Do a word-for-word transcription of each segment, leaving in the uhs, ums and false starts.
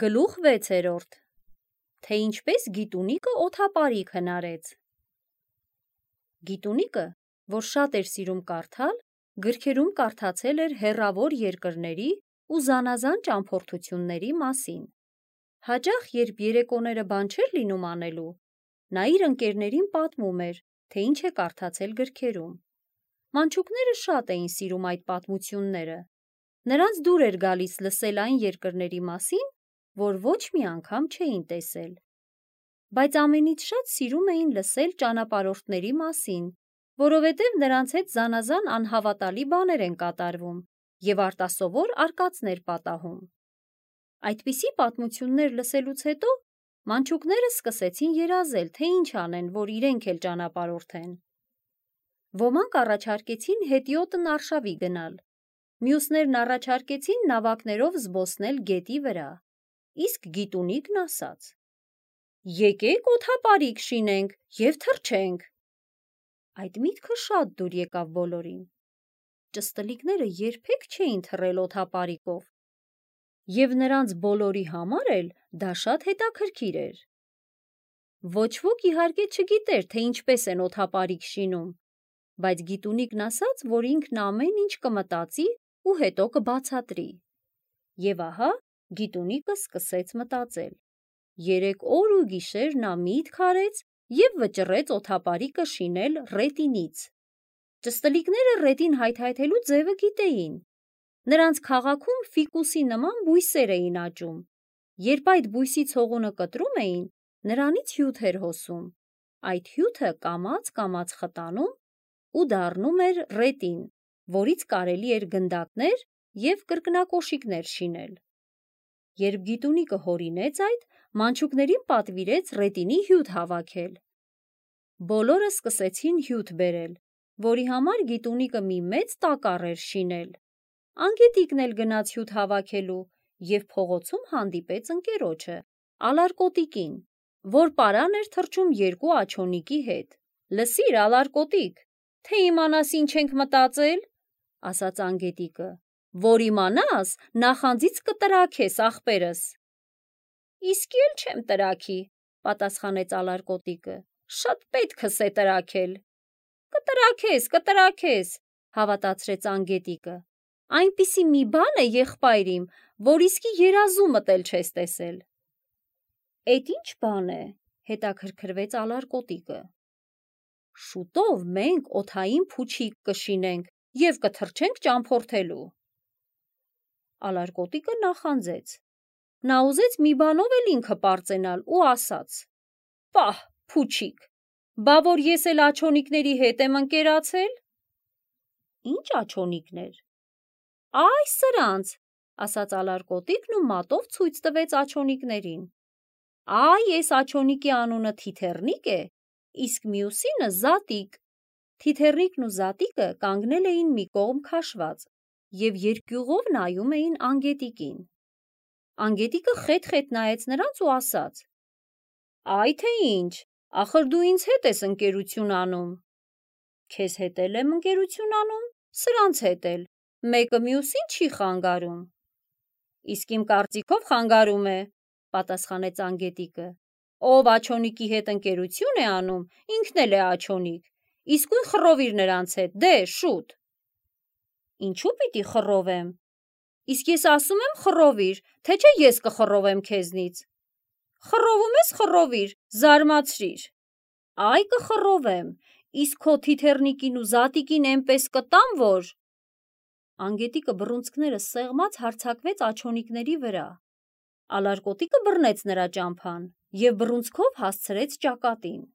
Գլուխ վեցերորդ. Թե ինչպես Գիտունիկը օդապարիկ հնարեց։ Գիտունիկը, որ շատ էր սիրում կարդալ, գրքերում կարդացել էր հեռավոր երկրների ու զանազան ճամփորդությունների մասին։ Հաճախ, երբ երեկոները բան չէր լինում անելու, նա իր ընկերներին պատմում էր, թե ինչ է կարդացել գրքերում։ Մանչուկները շատ էին սիրում այդ պատմությունները։ Նրանց դուր էր գալիս լսել այն երկրների մասին, որ ոչ մի անգամ չէին տեսել։ Բայց ամենից շատ սիրում էին լսել ճանապարհորդների մասին, որովհետև նրանց հետ զանազան անհավատալի բաներ են կատարվում և արտասովոր արկածներ պատահում։ Այդպիսի պատմություններ լսելուց հետո մանչուկները սկսեցին երազել, թե ինչ անեն, որ իրենք էլ ճանապարհորդեն։ Ոմանք առաջարկեցին հետիոտն արշավի գնալ, մյուսներն առաջարկեցին նավակներով զբոսնել գետի վրա, իսկ Գիտունիկն ասաց. «Եկեք օդապարիկ շինենք և թռչենք»։ Այդ միտքը շատ դուր եկավ բոլորին։ Ճստլիկները երբեք չէին թռել օդապարիկով, և նրանց բոլորի համար էլ դա շատ հետաքրքիր էր։ Ոչ ոք իհարկե չգիտեր, թե ինչպես են օդապարիկ շինում, բայց Գիտունիկն ասաց, որ ինքն ամեն ինչ կմտածի ու հետո կբացատրի։ Եվ ահա Գիտունիկը սկսեց մտածել։ Երեք օր ու գիշեր նա միտք արեց և վճռեց օդապարիկը շինել ռետինից։ Ճստլիկները ռետին հայթայթելու ձևը գիտեին։ Նրանց քաղաքում ֆիկուսի նման բույսեր էին աճում։ Երբ այդ բույսի ցողունը կտրում էին, նրանից հյութ էր հոսում։ Այդ հյութը կամաց-կամաց խտանում ու դառնում էր ռետին, որից կարելի էր գնդակներ և կրկնակոշիկներ շինել։ Երբ Գիտունիկը հորինեց այդ, մանչուկներին պատվիրեց ռետինի հյութ հավաքել։ Բոլորը սկսեցին հյութ բերել, որի համար Գիտունիկը մի մեծ տակառ էր շինել։ Անգետիկն էլ գնաց հյութ հավաքելու և փողոցում հանդիպեց ընկերոջը՝ Ալարկոտիկին, որ պարան էր թռչում երկու աջոնիկի հետ։ «Լսիր, Ալարկոտիկ, թե իմանաս ինչ ենք մտածել», ասաց անգետիկը, «որ իմանաս, նախանձից կտրաքես, ախպերս»։ «Իսկի էլ չեմ տրաքի», պատասխանեց Ալարկոտիկը, «շատ պետքս է տրաքել»։ «Կտրաքես, կտրաքես», հավատացրեց անգետիկը, «այնպիսի մի բան է, եղբայր իմ, որ իսկի երազումդ էլ չես տեսել»։ «Էդ ի՞նչ բան է», հետաքրքրվեց Ալարկոտիկը։ «Շուտով մենք օդային փուչիկ կշինենք և կթռչենք ճամփորդելու»։ Ալարկոտիկը նախանձեց։ Նա ուզեց մի բանով էլ ինքը պարծենալ ու ասաց. «Պահ, փուչիկ, բա որ ես էլ աջոնիկների հետ եմ ընկերացել»։ «Ի՞նչ աջոնիկներ»։ «Այ սրանց», ասաց Ալարկոտիկն ու մատով ցույց տվեց աջոնիկներին։ «Այ էս աջոնիկի անունը Թիթեռնիկ է, իսկ մյուսինը Զատիկ»։ Թիթեռնիկն ու Զատիկը կանգնել էին մի կողմ քաշված և երկյուղով նայում էին անգետիկին։ Անգետիկը խետ-խետ նայեց նրանց ու ասաց. «Այ թե ինչ, ախր դու ինձ հետ ես ընկերություն անում»։ «Քեզ հետ էլ եմ ընկերություն անում, սրանց հետ էլ, մեկը մյուսին չի խանգարում»։ «Իսկ իմ կարծիքով խանգարում է», պատասխանեց անգետիկը։ «Ով աջոնիկի հետ ընկերություն է անում, ինքն էլ է աջոնիկ, իսկույն խռովիր նրանց հետ, դե, շուտ»։ «Ինչու պիտի խռովեմ»։ «Իսկ ես ասում եմ խռովիր, թե չէ ես կխռովեմ քեզնից»։ «Խռովում ես, խռովիր, զարմացրիր»։ «Այ կխռովեմ, իսկ քո Թիթեռնիկին ու Զատիկին էնպես կտամ, որ…»։ Անգետիկը բռունցքները սեղմած հարձակվեց աջոնիկների վրա։ Ալարկոտիկը բռնեց նրա ճամփան և բռունցքով հասցրեց ճակատին։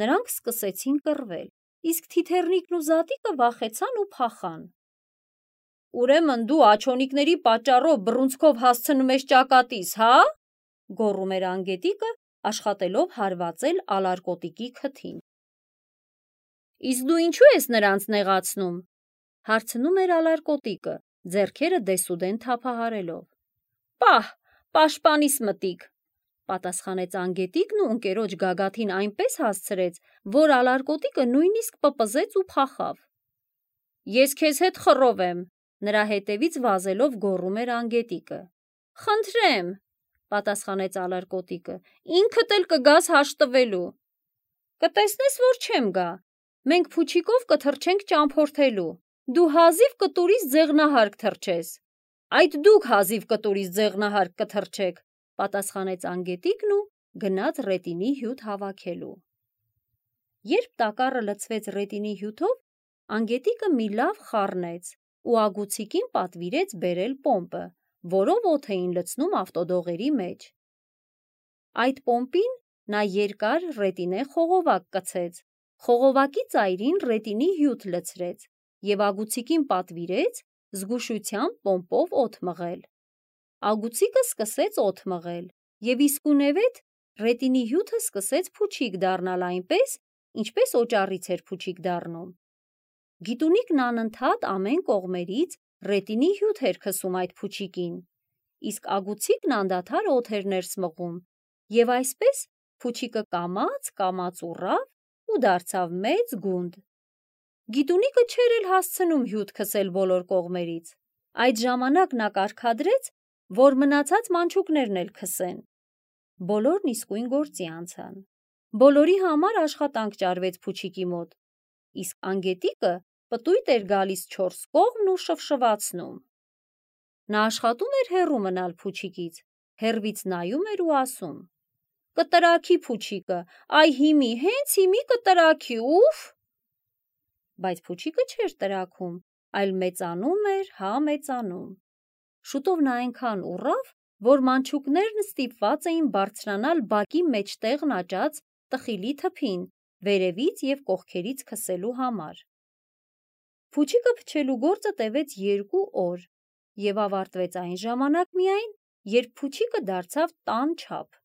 Նրանք սկսեցին կռվել, իսկ Թիթեռնիկն ու Զատիկը վախեցան ու փախան։ «Ուրեմն դու աջոնիկների պատճառով բռունցքով հասցնում ես ճակատիս, հա՞, գոռում էր անգետիկը, աշխատելով հարվածել Ալարկոտիկի քթին։ «Իսկ դու ինչու ես նրանց նեղացնում», հարցնում էր Ալարկոտիկը, ձեռքերը դեսուդեն թափահարելով։ «Պահ, պաշտպանիս մտիկ», պատասխանեց անգետիկն ու ընկերոջ գագաթին այնպես հասցրեց, որ Ալարկոտիկը նույնիսկ պպզեց ու փախավ։ «Ես քեզ հետ խռովեմ», նրա հետևից վազելով գոռում էր անգետիկը։ «Խնդրեմ»։ պատասխանեց ալարկոտիկը, ինքդ էլ կգաս հաշտվելու։ Կտեսնես, որ չեմ գա, մենք փուչիկով կթռչենք ճամփորդելու, դու հազիվ կտուրից ձեղնահարկ թռչես։ Այդ դուք հազիվ կտուրից ձեղնահարկ կթռչեք, պատասխանեց անգետիկն ու գնաց ռետինի հյութ հավաքելու։ Երբ տակառը լցվեց ռետինի հյութով, անգետիկը մի լավ խառնեց ու ագուցիկին պատվիրեց բերել պոմպը, որով օդ էին լցնում ավտոդողերի մեջ։ Այդ պոմպին նա երկար ռետինե խողովակ կցեց, խողովակի ծայրին ռետինի հյութ լցրեց և ագուցիկին պատվիրեց զգուշությամբ պոմպով օդ մղել։ Ագուցիկը սկսեց օդ մղել և իսկույնևեթ ռետինի հյութը սկսեց փուչիկ դառնալ այնպես, ինչպես օճառից էր փուչիկ դառնում։ Գիտունիկն անընդհատ ամեն կողմերից ռետինի հյութ էր քսում այդ փուչիկին, իսկ ագուցիկն անդադար օդ էր ներս մղում, և այսպես փուչիկը կամաց-կամաց ուռավ ու դարձավ մեծ գունդ։ Գիտունիկը չէր էլ հասցնում հյութ քսել բոլոր կողմերից։ Այդ ժամանակ նա կարգադրեց, որ մնացած մանչուկներն էլ քսեն։ Բոլորն իսկույն գործի անցան։ Բոլորի համար աշխատանք ճարվեց փուչիկի մոտ, իսկ անգետիկը պտույտ էր գալիս չորս կողմն ու շվշվացնում։ Նա աշխատում էր հեռու մնալ փուչիկից, հեռվից նայում էր ու ասում. «Կտրաքի փուչիկը, այ հիմի, հենց հիմի կտրաքի, ուֆ»։ Բայց փուչիկը չէր տրաքում, այլ մեծանում էր, հա մեծանում։ Շուտով նա այնքան ուռավ, որ մանչուկներն ստիպված էին բարձրանալ բակի մեջտեղն աճած տխիլի թփին, վերևից և կողքերից քսելու համար։ Փուչիկը փչելու գործը տևեց երկու օր և ավարտվեց այն ժամանակ միայն, երբ փուչիկը դարձավ տան չափ։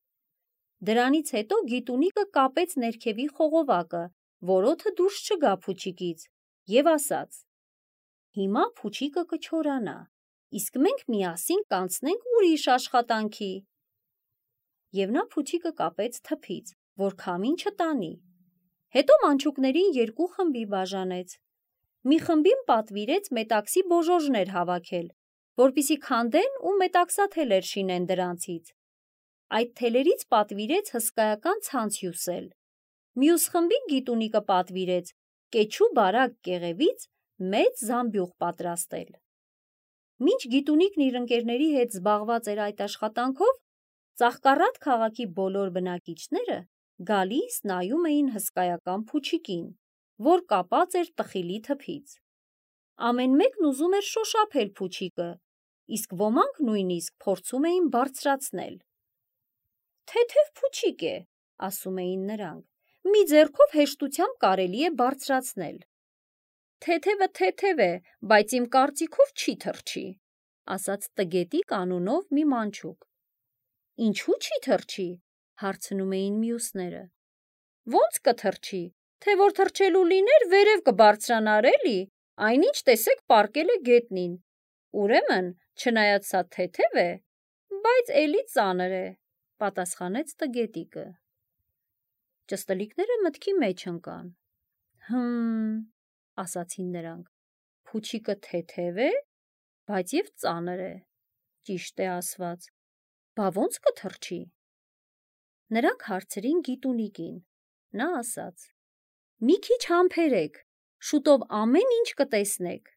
Դրանից հետո գիտունիկը կապեց ներքևի խողովակը, որ օդը դուրս չգա փուչիկից, և ասաց. «Հիմա փուչիկը կչորանա, իսկ մենք միասին կանցնենք ուրիշ աշխատանքի»։ Եվ նա փուչիկը կապեց թփից, որ քամին չտանի։ Հետո մանչուկներին երկու խմբի բաժանեց։ Մի խմբին պատվիրեց մետաքսի բոժոժներ հավաքել, որպեսզի քանդեն ու մետաքսաթելեր շինեն դրանցից։ Այդ թելերից պատվիրեց հսկայական ցանց հյուսել։ Մյուս խմբին գիտունիկը պատվիրեց կեչու բարակ կեղևից մեծ զամբյուղ պատրաստել։ Մինչ գիտունիկն իր ընկերների հետ զբաղված էր այդ աշխատանքով, Ծաղկառատ քաղաքի բոլոր բնակիչները գալիս նայում էին հսկայական փուչիկին, որ կապած էր տխիլի թփից։ Ամեն մեկն ուզում էր շոշափել փուչիկը, իսկ ոմանք նույնիսկ փորձում էին բարձրացնել։ «Թեթև փուչիկ է», ասում էին նրանք, «մի ձեռքով հեշտությամբ կարելի է բարձրացնել»։ «Թեթևը թեթև է, բայց իմ կարծիքով չի թռչի», ասաց Տգետիկ անունով մի մանչուկ։ «Ինչու՞ չի թռչի», հարցնում էին մյուսները։ «Ոնց կթռչի, թե որ թռչելու լիներ, վերև կբարձրանար էլի, այնինչ տեսեք պառկել է գետնին, ուրեմն, չնայած սա թեթև է, բայց էլի ծանր է», պատասխանեց Տգետիկը։ Ճստլիկները մտքի մեջ ընկան։ «Հը՛մ», ասացին նրանք, «փուչիկը թեթև է, բայց և ծանր է, ճիշտ է ասված, բա ոնց կթռչի»։ Նրանք հարցրին գիտունիկին։ Նա ասաց. «Մի քիչ համբերեք, շուտով ամեն ինչ կտեսնեք»։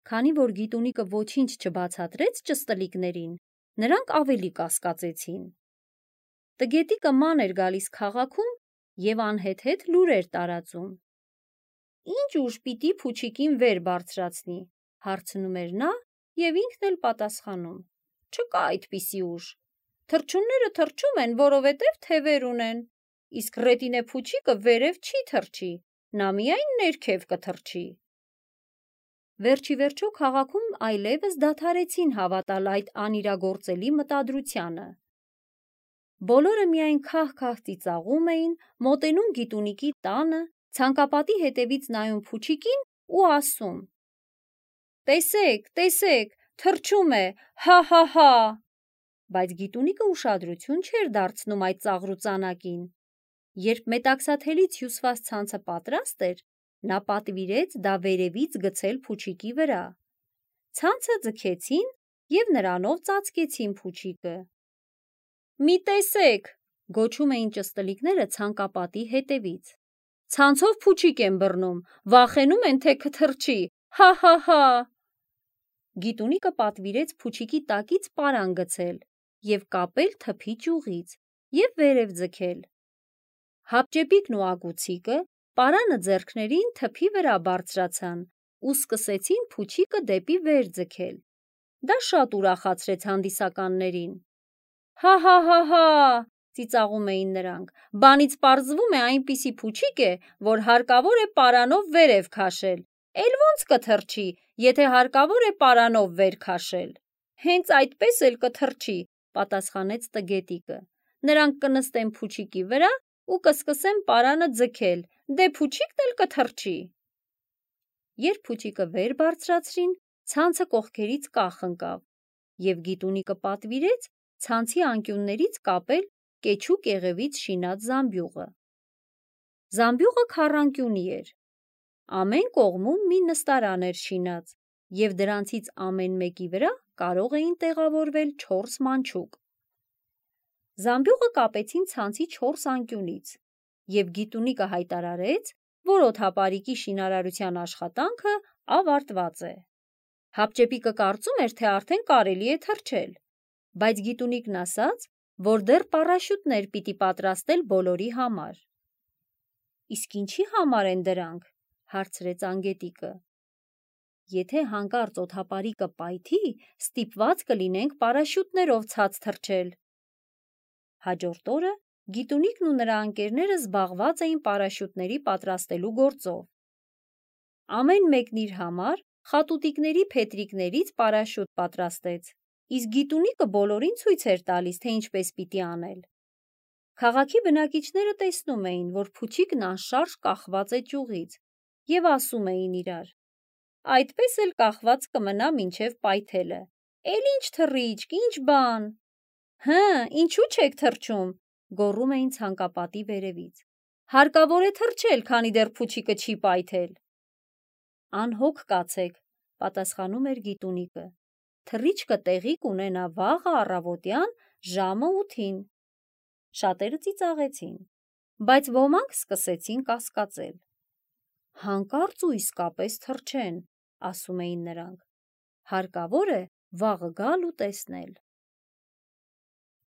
Քանի որ գիտունիկը ոչինչ չբացատրեց ճստլիկներին, նրանք ավելի կասկածեցին։ Տգետիկը ման էր գալիս քաղաքում և անհեթեթ լուրեր տարածում։ «Ինչ ուժ պիտի փուչիկին վեր բարձրացնի», հարցնում էր նա և ինքն էլ պատասխանում. «Չկա այդպիսի ուժ։ Թռչունները թռչում են, որովհետև թևեր ունեն, իսկ ռետինե փուչիկը վերև չի թռչի, նա միայն ներքև կթռչի»։ Վերջիվերջո քաղաքում այլևս դադարեցին հավատալ այդ անիրագործելի մտադրությանը։ Բոլորը միայն քահ-քահ ծիծաղում էին, մոտենում գիտունիկի տանը, ցանկապատի հետևից նայում փուչիկին ու ասում. «Տեսեք, տեսեք, թռչում է, հա՛֊հա՛֊հա»։ Բայց գիտունիկը ուշադրություն չէր դարձնում այդ ծաղրուծանակին։ Երբ մետաքսաթելից հյուսված ցանցը պատրաստ էր, նա պատվիրեց դա վերևից գցել փուչիկի վրա։ Ցանցը ձգեցին և նրանով ծածկեցին փուչիկը։ մի տեսեք, գոչում էին ճստլիկները ցանկապատի հետևից։ Ցանցով փուչիկ են բռնում, վախենում են, թե կթռչի, հա հա հա։ Գիտունիկը պատվիրեց փուչիկի տակից պարան գցել և կապել թփի ճյուղից և վերև ձգել։ Հապճեպիկն ու ագուցիկը պարանը ձեռքներին թփի վրա բարձրացան ու սկսեցին փուչիկը դեպի վեր ձգել։ Դա շատ ուրախացրեց հանդիսականներին։ Հա հա հա հա, ծիծաղում էին նրանք, բանից պարզվում է այնպիսի փուչիկ է, որ հարկավոր է պարանով վերև քաշել, էլ ոնց կթռչի, եթե հարկավոր է պարանով վեր քաշել։ Հենց այդպես էլ կթռչի, պատասխանեց տգետիկը։ Նրանք կնստեն փուչիկի վրա ու կսկսեն պարանը ձգել, դե փուչիկն էլ կթռչի։ Երբ փուչիկը վեր բարձրացրին, ցանցը կողքերից կախ ընկավ, և գիտունիկը պատվիրեց ցանցի անկյուններից կապել կեչու կեղևից շինած զամբյուղը։ Զամբյուղը քառանկյունի էր։ Ամեն կողմում մի նստարան էր շինած, և դրանցից ամեն մեկի վրա կարող էին տեղավորվել չորս մանչուկ։ Զամբյուղը կապեցին ցանցի չորս անկյունից, և գիտունիկը հայտարարեց, որ օդապարիկի շինարարության աշխատանքը ավարտված է։ Հապճեպիկը կարծում էր, թե արդեն կարելի է թռչել, բայց գիտունիկն ասաց, որ դեռ պարաշյուտներ պիտի պատրաստել բոլորի համար։ Իսկ ինչի համար են դրանք, հարցրեց անգետիկը։ Եթե հանկարծ օդապարիկը պայթի, ստիպված կլինենք պարաշյուտներով ցած թռչել։ Հաջորդ օրը գիտունիկն ու նրա ընկերները զբաղված էին պարաշյուտների պատրաստելու գործով։ Ամեն մեկն իր համար խատուտիկների փետրիկներից պարաշյուտ պատրաստեց, իսկ գիտունիկը բոլորին ցույց էր տալիս, թե ինչպես պիտի անել։ Քաղաքի բնակիչները տեսնում էին, որ փուչիկն անշարժ կախված է ճյուղից, և ասում էին իրար. այդպես էլ կախված կմնա մինչև պայթելը, էլ ինչ թռիչք, ինչ բան։ Հը, ինչու չեք թռչում, գոռում էին ցանկապատի վերևից։ Հարկավոր է թռչել, քանի դեռ փուչիկը չի պայթել։ Անհոգ կացեք, պատասխանում էր գիտունիկը։ Թռիչքը տեղի կունենա վաղը առավոտյան ժամը ութին։ Շատերը ծիծաղեցին, բայց ոմանք սկսեցին կասկածել։ Հանկարծ ու իսկապես թռչեն, ասում էին նրանք։ Հարկավոր է վաղը գալ ու տեսնել։